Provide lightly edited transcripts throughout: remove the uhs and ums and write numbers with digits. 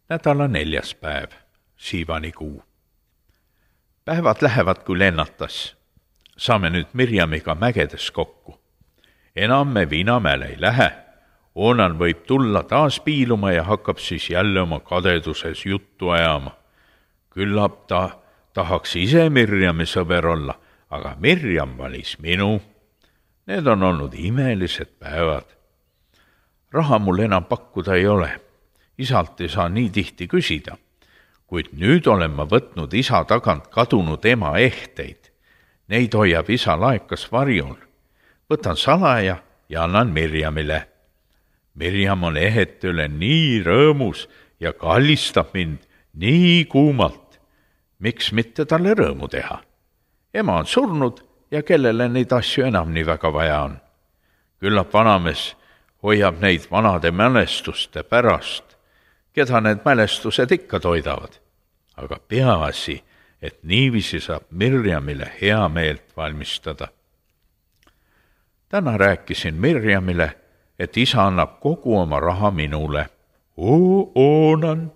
Nädala 4. päev, siivanikuu. Päevad lähevad kui lennatas. Saame nüüd Mirjamiga mägedes kokku. Enam me Viinamäele ei lähe. Oonan võib tulla taas piiluma ja hakkab siis jälle oma kadeduses juttu ajama. Küllap ta tahaks ise Mirjami sõber olla, aga Mirjam valis minu. Need on olnud imelised päevad. Raha mul enam pakkuda ei ole. Isalt ei saa nii tihti küsida, kuid nüüd olen ma võtnud isa tagant kadunud ema ehteid. Neid hoiab isa laekas varjul. Võtan salaja ja annan Mirjamile. Mirjam on ehete üle nii rõõmus ja kallistab mind nii kuumalt. Miks mitte talle rõõmu teha? Ema on surnud ja kellele neid asju enam nii väga vaja on. Küllap vanamees hoiab neid vanade mälestuste pärast, keda need mälestused ikka toidavad. Aga peaasi, et niiviisi saab Mirjamile hea meelt valmistada. Täna rääkisin Mirjamile, et isa annab kogu oma raha minule. Oonan,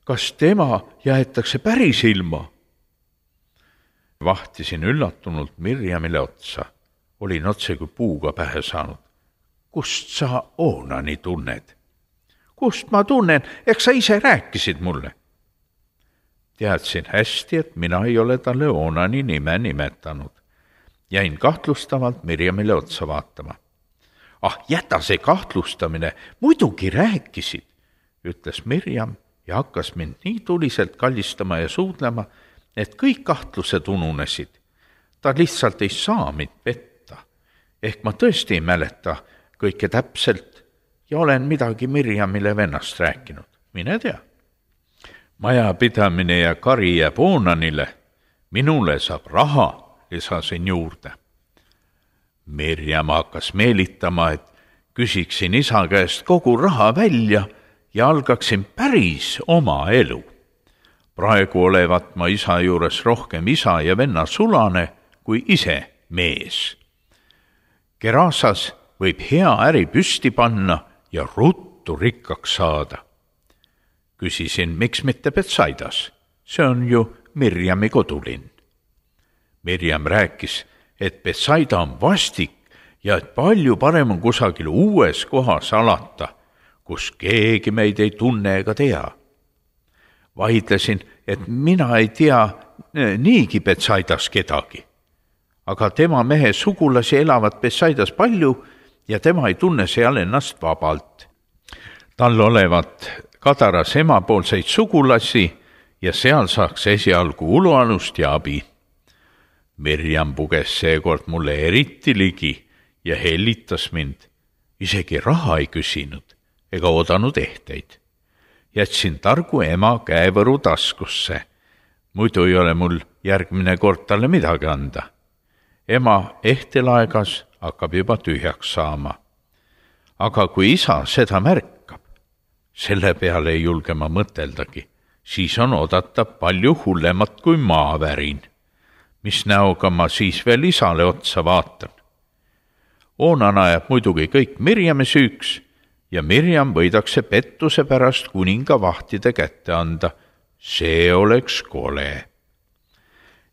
kas tema jäetakse päris ilma? Vahtisin üllatunult Mirjamile otsa. Olin otse kui puuga pähe saanud. Kust sa Oonani tunned? Kust ma tunnen, eks sa ise rääkisid mulle? Teadsin hästi, et mina ei ole talle Oonani nime nimetanud. Jäin kahtlustavalt Mirjamile otsa vaatama. Jäta see kahtlustamine, muidugi rääkisid, ütles Mirjam ja hakkas mind nii tuliselt kallistama ja suudlema, et kõik kahtlused ununesid. Ta lihtsalt ei saa mind petta. Ehk ma tõesti ei mäleta kõike täpselt ja olen midagi Mirjamile vennast rääkinud. Mine tea. Majapidamine ja kari jääb Oonanile. Minule saab raha, lisasin juurde. Mirjam hakkas meelitama, et küsiksin isa käest kogu raha välja ja algaksin päris oma elu. Praegu olevat ma isa juures rohkem isa ja venna sulane kui ise mees. Gerasas võib hea äri püsti panna ja ruttu rikkaks saada. Küsisin, miks mitte Betsaidas? See on ju Mirjami kodulinn. Mirjam rääkis, et Betsaida on vastik ja et palju parem on kusagil uues kohas alata, kus keegi meid ei tunne ega tea. Vaidlesin, et mina ei tea niigi Betsaidas kedagi. Aga tema mehe sugulasi elavad Betsaidas palju ja tema ei tunne seal ennast vabalt. Tal olevat Kadaras emapoolseid sugulasi ja seal saaks esialgu ulualust ja abi. Mirjam puges seekord mulle eriti ligi ja hellitas mind. Isegi raha ei küsinud ega oodanud ehteid. Jätsin targu ema käevõru taskusse. Muidu ei ole mul järgmine kord talle midagi anda. Ema ehtelaegas hakkab juba tühjaks saama. Aga kui isa seda märkab, selle peale ei julge ma mõteldagi, siis on oodata palju hullemat kui maavärin. Mis näoga ma siis veel isale otsa vaatan? Oonan ajab muidugi kõik Mirjami süüks ja Mirjam võidakse pettuse pärast kuninga vahtide kätte anda. See oleks kole.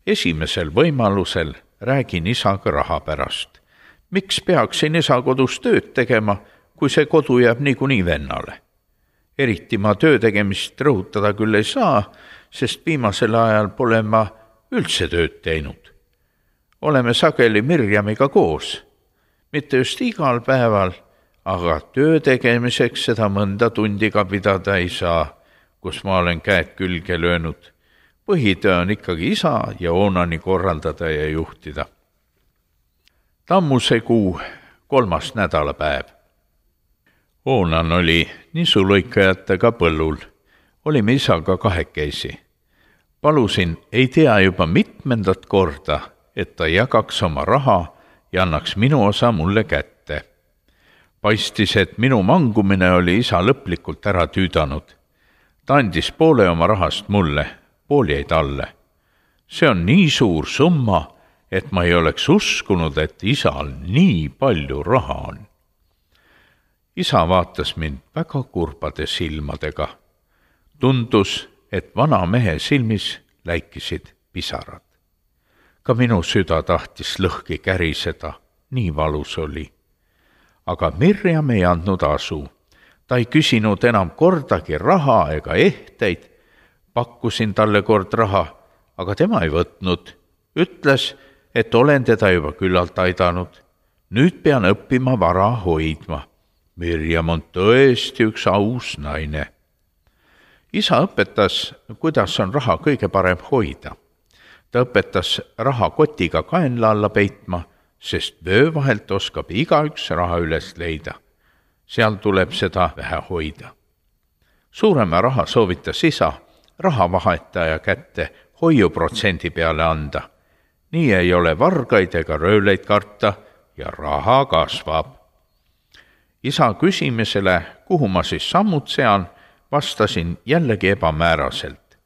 Esimesel võimalusel räägin isaga raha pärast. Miks peaksin isa kodus tööd tegema, kui see kodu jääb niikuinii vennale? Eriti ma töö tegemist rõhutada küll ei saa, sest viimasel ajal pole ma üldse tööd teinud. Oleme sageli Mirjamiga koos. Mitte just igal päeval, aga töö tegemiseks seda mõnda tundiga pidada ei saa, kus ma olen käed külge löönud. Põhitöö on ikkagi isa ja Oonani korraldada ja juhtida. Tammuse kuu 3. nädalapäev. Oonan oli nisulõikajatega põllul. Olime isaga kahekesi. Palusin ei tea juba mitmendat korda, et ta jagaks oma raha ja annaks minu osa mulle kätte. Paistis, et minu mangumine oli isa lõplikult ära tüüdanud. Ta andis poole oma rahast mulle, pool jäi talle. See on nii suur summa, et ma ei oleks uskunud, et isal nii palju raha on. Isa vaatas mind väga kurbade silmadega. Tundus, et vana mehe silmis läikisid pisarad. Ka minu süda tahtis lõhki käriseda, nii valus oli. Aga Mirjam ei andnud asu. Ta ei küsinud enam kordagi raha ega ehteid. Pakkusin talle kord raha, aga tema ei võtnud. Ütles, et olen teda juba küllalt aidanud. Nüüd pean õppima vara hoidma. Mirjam on tõesti üks aus naine. Isa õpetas, kuidas on raha kõige parem hoida. Ta õpetas raha kotiga kaenla alla peitma, sest vöö vahelt oskab igaüks raha üles leida. Seal tuleb seda vähe hoida. Suurema raha soovitas isa rahavahetaja kätte hoiuprotsendi peale anda. Nii ei ole vargaid ega röövleid karta ja raha kasvab. Isa küsimisele, kuhu ma siis sammud sean, vastasin jällegi ebamääraselt.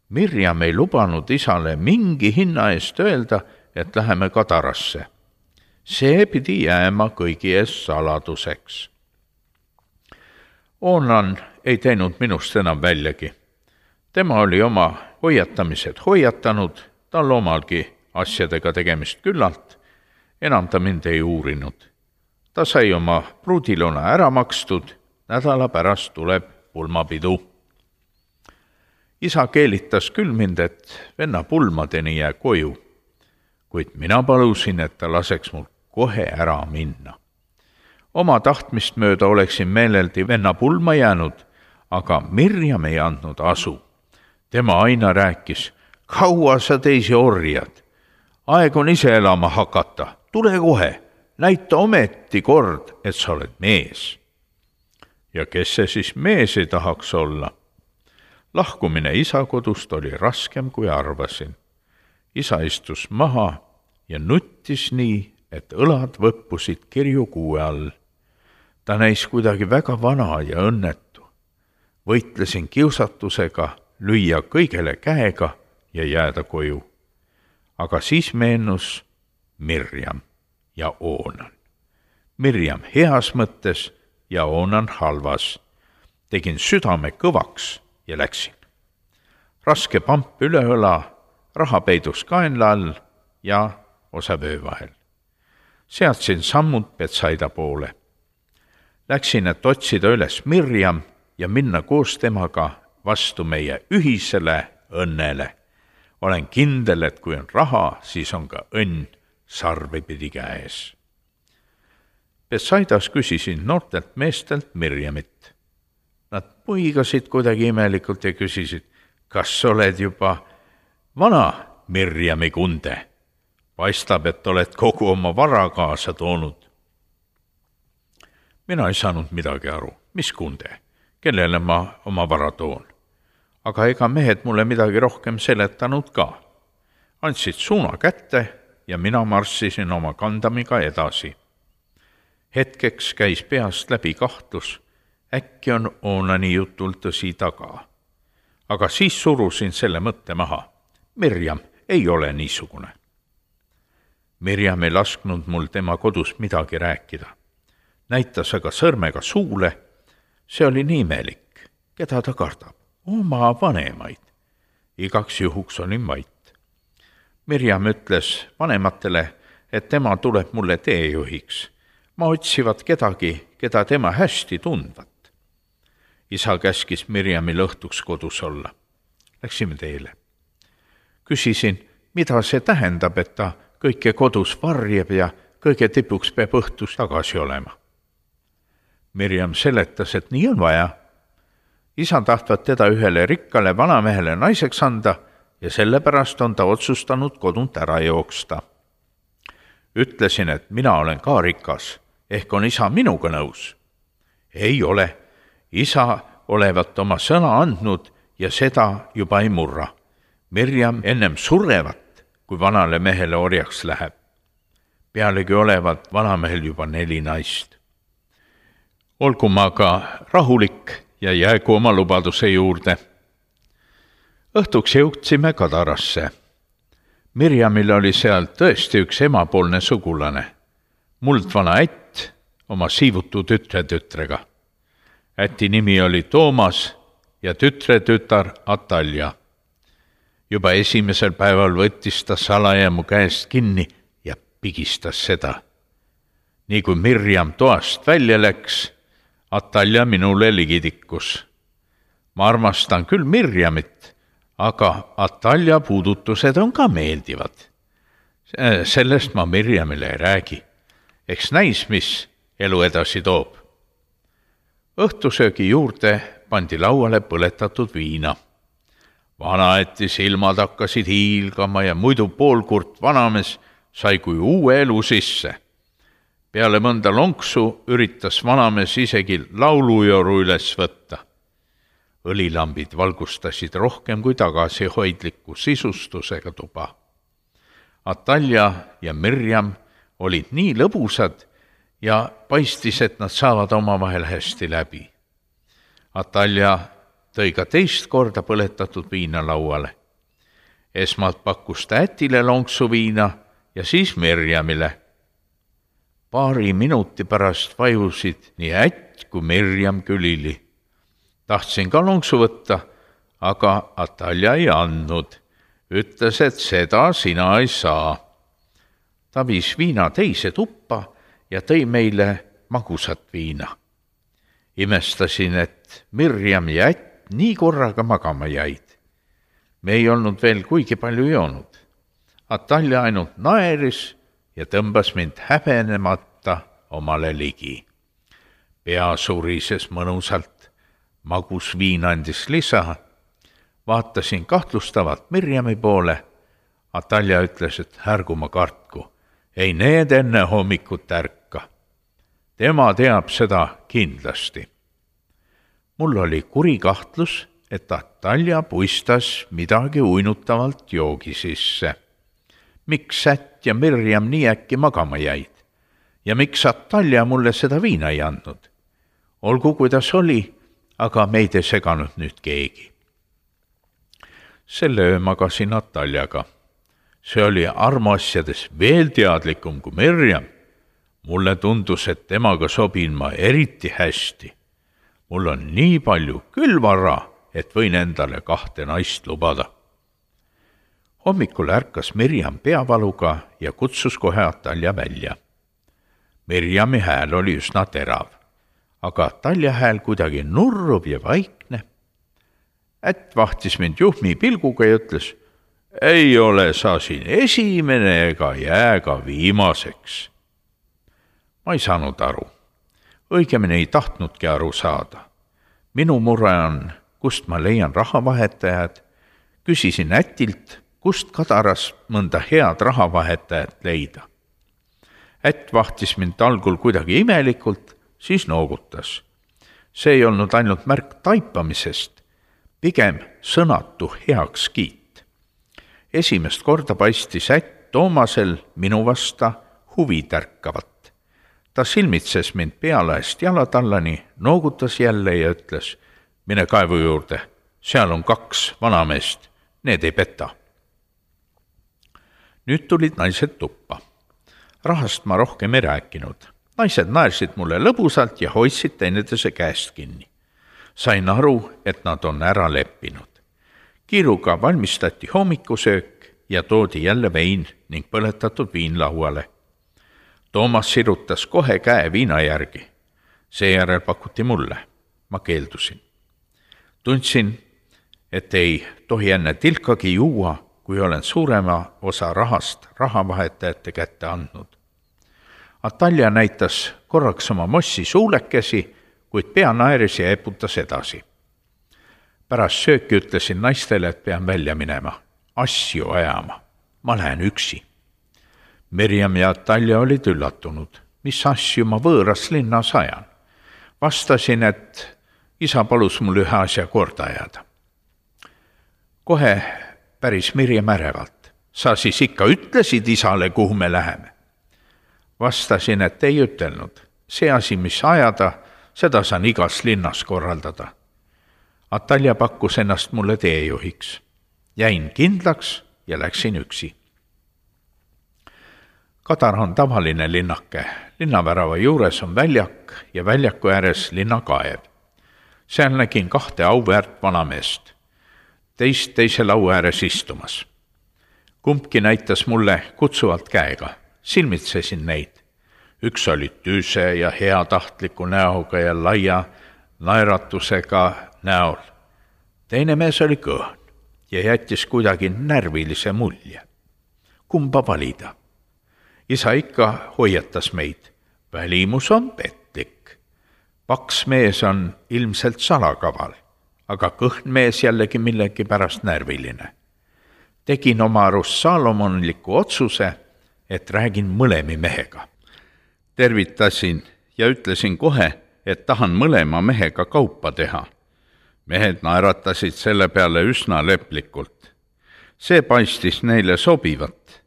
Mirjam ei lubanud isale mingi hinna eest öelda, et läheme Kadarasse. See pidi jääma kõigi ees saladuseks. Oonan ei teinud minust enam väljagi. Tema oli oma hoiatamised hoiatanud, tal omalgi asjadega tegemist küllalt, enam ta mind ei uurinud. Ta sai oma pruudiluna ära makstud, nädala pärast tuleb pulmapidu. Isa keelitas küll mind, et venna pulmadeni jää koju, kuid mina palusin, et ta laseks mul kohe ära minna. Oma tahtmist mööda oleksin meeleldi venna pulma jäänud, aga Mirjam ei andnud asu. Tema aina rääkis, kaua sa teisi orjad? Aeg on ise elama hakata, tule kohe, näita ometi kord, et sa oled mees. Ja kes see siis mees ei tahaks olla? Lahkumine isa kodust oli raskem, kui arvasin. Isa istus maha ja nuttis nii, et õlad võppusid kirjukuue all. Ta näis kuidagi väga vana ja õnnetu. Võitlesin kiusatusega lüüa kõigele käega ja jääda koju. Aga siis meenus Mirjam ja Oonan. Mirjam heas mõttes ja Oonan halvas. Tegin südame kõvaks ja läksin. Raske pamp üle õla, raha peidus kaenla all ja osa vöö vahel. Seadsin sammud Betsaida poole. Läksin, et otsida üles Mirjam ja minna koos temaga vastu meie ühisele õnnele. Olen kindel, et kui on raha, siis on ka õnn sarvipidi käes. Betsaidas küsisin noortelt meestelt Mirjamit. Nad puigasid kuidagi imelikult ja küsisid, kas oled juba vana Mirjami kunde? Paistab, et oled kogu oma vara kaasa toonud. Mina ei saanud midagi aru, mis kunde, kellele ma oma vara toon. Aga ega mehed mulle midagi rohkem seletanud ka. Andsid suuna kätte ja mina marssisin oma kandamiga edasi. Hetkeks käis peast läbi kahtlus, äkki on Oonani jutul tõsi taga. Aga siis surusin selle mõtte maha. Mirjam ei ole niisugune. Mirjam ei lasknud mul tema kodus midagi rääkida. Näitas aga sõrmega suule, see oli nii imelik, keda ta kardab, oma vanemaid. Igaks juhuks olin vait. Mirjam ütles vanematele, et tema tuleb mulle teejuhiks. Ma otsivad kedagi, keda tema hästi tundvat. Isa käskis Mirjamil õhtuks kodus olla. Läksime teele. Küsisin, mida see tähendab, et ta kõike kodus varjeb ja kõige tipuks peab õhtus tagasi olema. Mirjam seletas, et nii on vaja. Isa tahtvat teda ühele rikkale vanamehele naiseks anda ja sellepärast on ta otsustanud kodunt ära jooksta. Ütlesin, et mina olen ka rikas, ehk on isa minuga nõus. Ei ole. Isa olevat oma sõna andnud ja seda juba ei murra. Mirjam ennem surevat, kui vanale mehele orjaks läheb. Pealegi olevat vanamehel juba 4 naist. Olgu ma ka rahulik ja jäägu oma lubaduse juurde. Õhtuks jõudsime Kadarasse. Mirjamil oli seal tõesti üks emapoolne sugulane. Muldvana ätt oma siivutu tütrega. Äti nimi oli Toomas ja tütre tütar Atalja. Juba esimesel päeval võttis ta salaja mu käest kinni ja pigistas seda. Nii kui Mirjam toast välja läks, Atalja minule ligi tikkus. Ma armastan küll Mirjamit, aga Atalja puudutused on ka meeldivad. Sellest ma Mirjamile ei räägi. Eks näis, mis elu edasi toob. Õhtusöögi juurde pandi lauale põletatud viina. Vanaeti silmad hakkasid hiilgama ja muidu poolkurt vanamees sai kui uue elu sisse. Peale mõnda lonksu üritas vanamees isegi laulujoru üles võtta. Õlilambid valgustasid rohkem kui tagasihoidliku sisustusega tuba. Atalja ja Mirjam olid nii lõbusad ja paistis, et nad saavad omavahel hästi läbi. Atalja tõi ka teist korda põletatud viina lauale. Esmalt pakkus ta ätile lonksu viina ja siis Mirjamile. Paari minuti pärast vajusid nii ätt kui Mirjam külili. Tahtsin ka lonksu võtta, aga Atalja ei andnud. Ütles, et seda sina ei saa. Ta viis viina teise tuppa ja tõi meile magusat viina. Imestasin, et Mirjam ja ätt nii korraga magama jäid. Me ei olnud veel kuigi palju joonud. Atalja ainult naeris ja tõmbas mind häbenemata omale ligi. Pea surises mõnusalt, magus viin andis lisa. Vaatasin kahtlustavalt Mirjami poole. Atalja ütles, et ärgu ma kartku. Ei need enne hommikut ärka. Tema teab seda kindlasti. Mul oli kuri kahtlus, et Atalja puistas midagi uinutavalt joogi sisse. Miks ätt ja Mirjam nii äkki magama jäid? Ja miks Atalja mulle seda viina ei andnud? Olgu kuidas oli, aga meid ei seganud nüüd keegi. Selle öö magasin Ataljaga. See oli armuasjades veel teadlikum kui Mirjam. Mulle tundus, et temaga sobin ma eriti hästi. Mul on nii palju külvara, et võin endale 2 naist lubada. Hommikul ärkas Mirjam peavaluga ja kutsus kohe Atalja välja. Mirjami hääl oli üsna terav, aga Atalja hääl kuidagi nurruv ja vaikne. Ätt vahtis mind juhmi pilguga ja ütles, ei ole sa siin esimene ega jää ka viimaseks. Ma ei saanud aru. Õigemini ei tahtnudki aru saada. Minu mure on, kust ma leian rahavahetajad. Küsisin ätilt, kust Kadaras mõnda head rahavahetajat leida. Ätt vahtis mind algul kuidagi imelikult, siis noogutas. See ei olnud ainult märk taipamisest, pigem sõnatu heakskiit. Esimest korda paistis ätt Toomasel minu vasta huvi tärkavat. Ta silmitses mind pealaest jalatallani, noogutas jälle ja ütles, mine kaevu juurde, seal on 2 vanameest, need ei peta. Nüüd tulid naised tuppa. Rahast ma rohkem ei rääkinud. Naised naersid mulle lõbusalt ja hoidsid teineteise käest kinni. Sain aru, et nad on ära leppinud. Kiiruga valmistati hommikusöök ja toodi jälle vein ning põletatud viin lauale. Toomas sirutas kohe käe viina järgi. Seejärel pakuti mulle. Ma keeldusin. Tundsin, et ei tohi enne tilkagi juua, kui olen suurema osa rahast rahavahetajate kätte andnud. Atalja näitas korraks oma mossi suulekesi, kuid pea naeris ja eputas edasi. Pärast sööki ütlesin naistele, et pean välja minema, asju ajama. Ma lähen üksi. Mirjam ja Atalja olid üllatunud. Mis asju ma võõras linnas ajan? Vastasin, et isa palus mul ühe asja korda ajada. Kohe päris Mirjam ärevalt. Sa siis ikka ütlesid isale, kuhu me läheme? Vastasin, et ei ütelnud. See asi, mis ajada, seda saan igas linnas korraldada. Atalja pakkus ennast mulle teejuhiks. Jäin kindlaks ja läksin üksi. Kadar on tavaline linnake. Linnavärava juures on väljak ja väljaku ääres linnakaev. Seal nägin 2 auväärt vanameest, teise laua ääres istumas. Kumbki näitas mulle kutsuvalt käega, silmitsesin neid. Üks oli tüüse ja heatahtliku näoga ja laia naeratusega näol. Teine mees oli kõhn ja jättis kuidagi närvilise mulje. Kumba valida? Isa ikka hoiatas meid. Välimus on petlik. Paks mees on ilmselt salakaval, aga kõhn mees jällegi millegi pärast närviline. Tegin oma arust saalomonliku otsuse, et räägin mõlemi mehega. Tervitasin ja ütlesin kohe, et tahan mõlema mehega kaupa teha. Mehed naeratasid selle peale üsna leplikult. See paistis neile sobivat.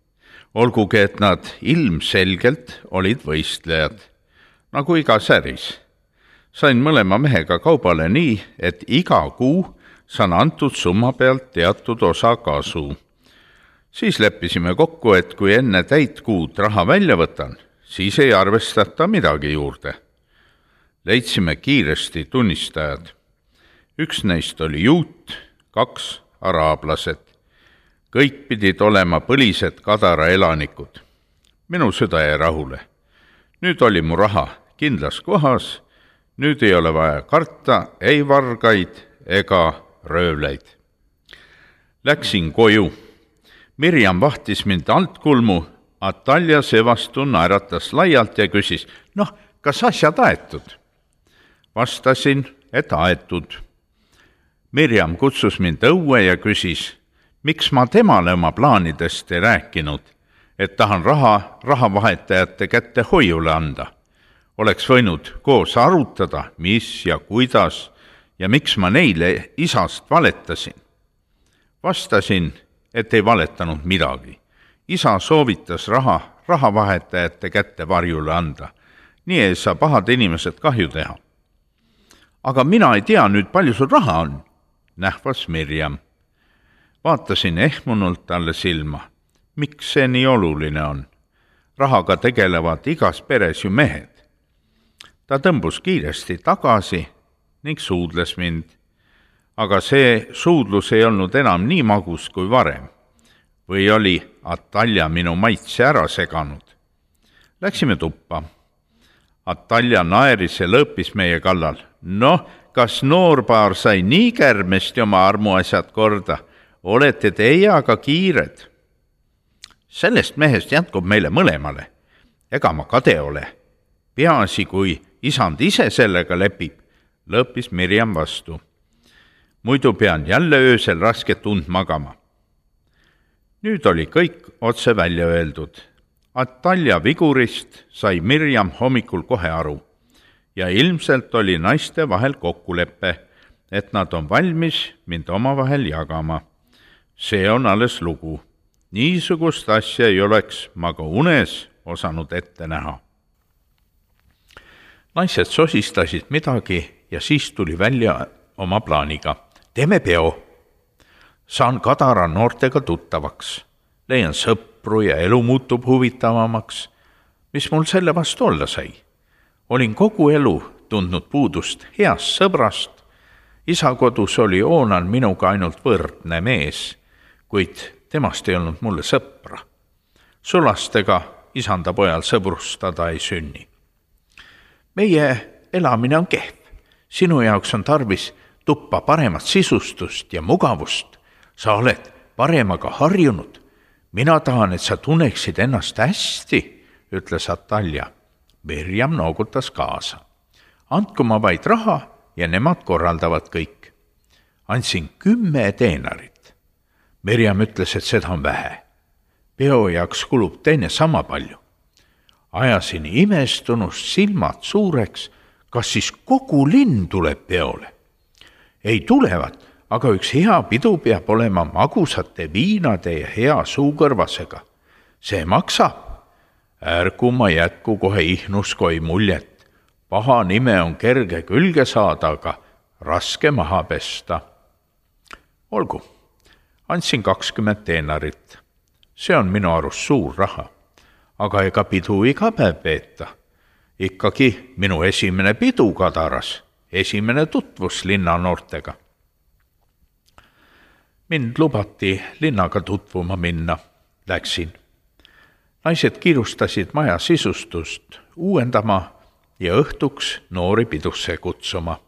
Olgugi, et nad ilmselgelt olid võistlejad, nagu igas äris. Sain mõlema mehega kaubale nii, et iga kuu saan antud summa pealt teatud osa kasu. Siis leppisime kokku, et kui enne täit kuud raha välja võtan, siis ei arvestata midagi juurde. Leidsime kiiresti tunnistajad. Üks neist oli juut, 2 araablased. Kõik pidid olema põlised Kadara elanikud. Minu süda jäi rahule. Nüüd oli mu raha kindlas kohas, nüüd ei ole vaja karta ei vargaid ega röövleid. Läksin koju. Mirjam vahtis mind altkulmu, Atalja seevastu naeratas laialt ja küsis, kas asjad aetud? Vastasin, et aetud. Mirjam kutsus mind õue ja küsis, miks ma temale oma plaanidest ei rääkinud, et tahan rahavahetajate kätte hoiule anda. Oleks võinud koos arutada, mis ja kuidas ja miks ma neile isast valetasin. Vastasin, et ei valetanud midagi. Isa soovitas rahavahetajate kätte varjule anda. Nii ei saa pahad inimesed kahju teha. Aga mina ei tea nüüd, palju sul raha on, nähvas Mirjam. Vaatasin ehmunult talle silma. Miks see nii oluline on? Rahaga tegelevad igas peres ju mehed. Ta tõmbus kiiresti tagasi ning suudles mind. Aga see suudlus ei olnud enam nii magus kui varem. Või oli Atalja minu maitse ära seganud. Läksime tuppa. Atalja naeris ja lõõpis meie kallal. Kas noorpaar sai nii kärmesti oma armuasjad korda? Olete teie aga kiired? Sellest mehest jätkub meile mõlemale. Ega ma kade ole. Peaasi, kui isand ise sellega lepib, lõõpis Mirjam vastu. Muidu pean jälle öösel rasket und magama. Nüüd oli kõik otse välja öeldud. Atalja vigurist sai Mirjam hommikul kohe aru ja ilmselt oli naiste vahel kokkulepe, et nad on valmis mind omavahel jagama. See on alles lugu. Niisugust asja ei oleks ma ka unes osanud ette näha. Naised sosistasid midagi ja siis tuli välja oma plaaniga. Teeme peo. Saan Kadara noortega tuttavaks. Leian sõpru ja elu muutub huvitavamaks. Mis mul selle vastu olla sai? Olin kogu elu tundnud puudust heast sõbrast. Isa kodus oli Oonan minuga ainult võrdne mees, kuid temast ei olnud mulle sõpra. Sulastega isanda pojal sõbrustada ei sünni. Meie elamine on kehv. Sinu jaoks on tarvis tuppa paremat sisustust ja mugavust. Sa oled paremaga harjunud. Mina tahan, et sa tunneksid ennast hästi, ütles Atalja. Mirjam noogutas kaasa. Andku ma vaid raha ja nemad korraldavad kõik. Andsin 10 teenarit. Mirjam ütles, et seda on vähe. Peo jaoks kulub teine sama palju. Ajasin imestunust silmad suureks, kas siis kogu linn tuleb peole. Ei tulevad, aga üks hea pidu peab olema magusate viinade ja hea suukõrvasega. See maksab. Ärgu ma jätku kohe ihnuskoi muljet. Paha nime on kerge külge saada, aga raske maha pesta. Olgu, andsin 20 teenarit. See on minu arust suur raha. Aga ega pidu iga päev peeta. Ikkagi minu esimene pidu Kadaras. esimene tutvus linna noortega. Mind lubati linnaga tutvuma minna. Läksin. Naised kiirustasid maja sisustust uuendama ja õhtuks noori pidusse kutsuma.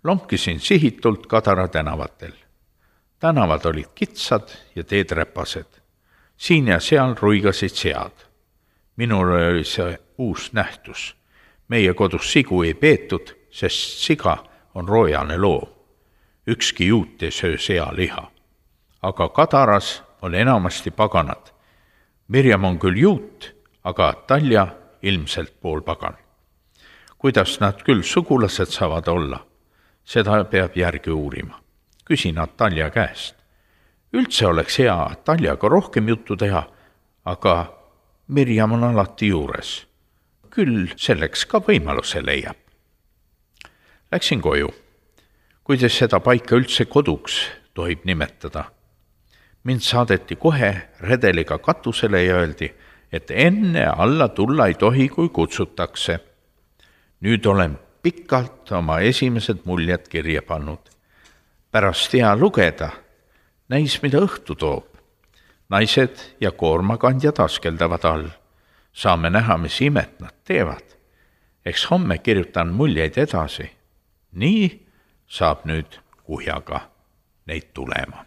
Lomkisin sihitult Kadara tänavatel. Tänavad olid kitsad ja teed räpased. Siin ja seal ruigasid sead. Minul oli see uus nähtus. Meie kodus sigu ei peetud, sest siga on roojane loom. Ükski juut ei söö sealiha. Aga Kadaras on enamasti paganad. Mirjam on küll juut, aga Talja ilmselt poolpagan. Kuidas nad küll sugulased saavad olla? Seda peab järgi uurima. Küsin Talja käest. Üldse oleks hea Taljaga rohkem juttu teha, aga Mirjam on alati juures. Küll selleks ka võimaluse leiab. Läksin koju. Kuidas seda paika üldse koduks tohib nimetada? Mind saadeti kohe redeliga katusele ja öeldi, et enne alla tulla ei tohi, kui kutsutakse. Nüüd olen pikalt oma esimesed muljed kirja pannud. Pärast hea lugeda, näis, mida õhtu toob. Naised ja koormakandjad askeldavad all. Saame näha, mis imet nad teevad. Eks homme kirjutan muljeid edasi. Nii saab nüüd kuhjaga neid tulema.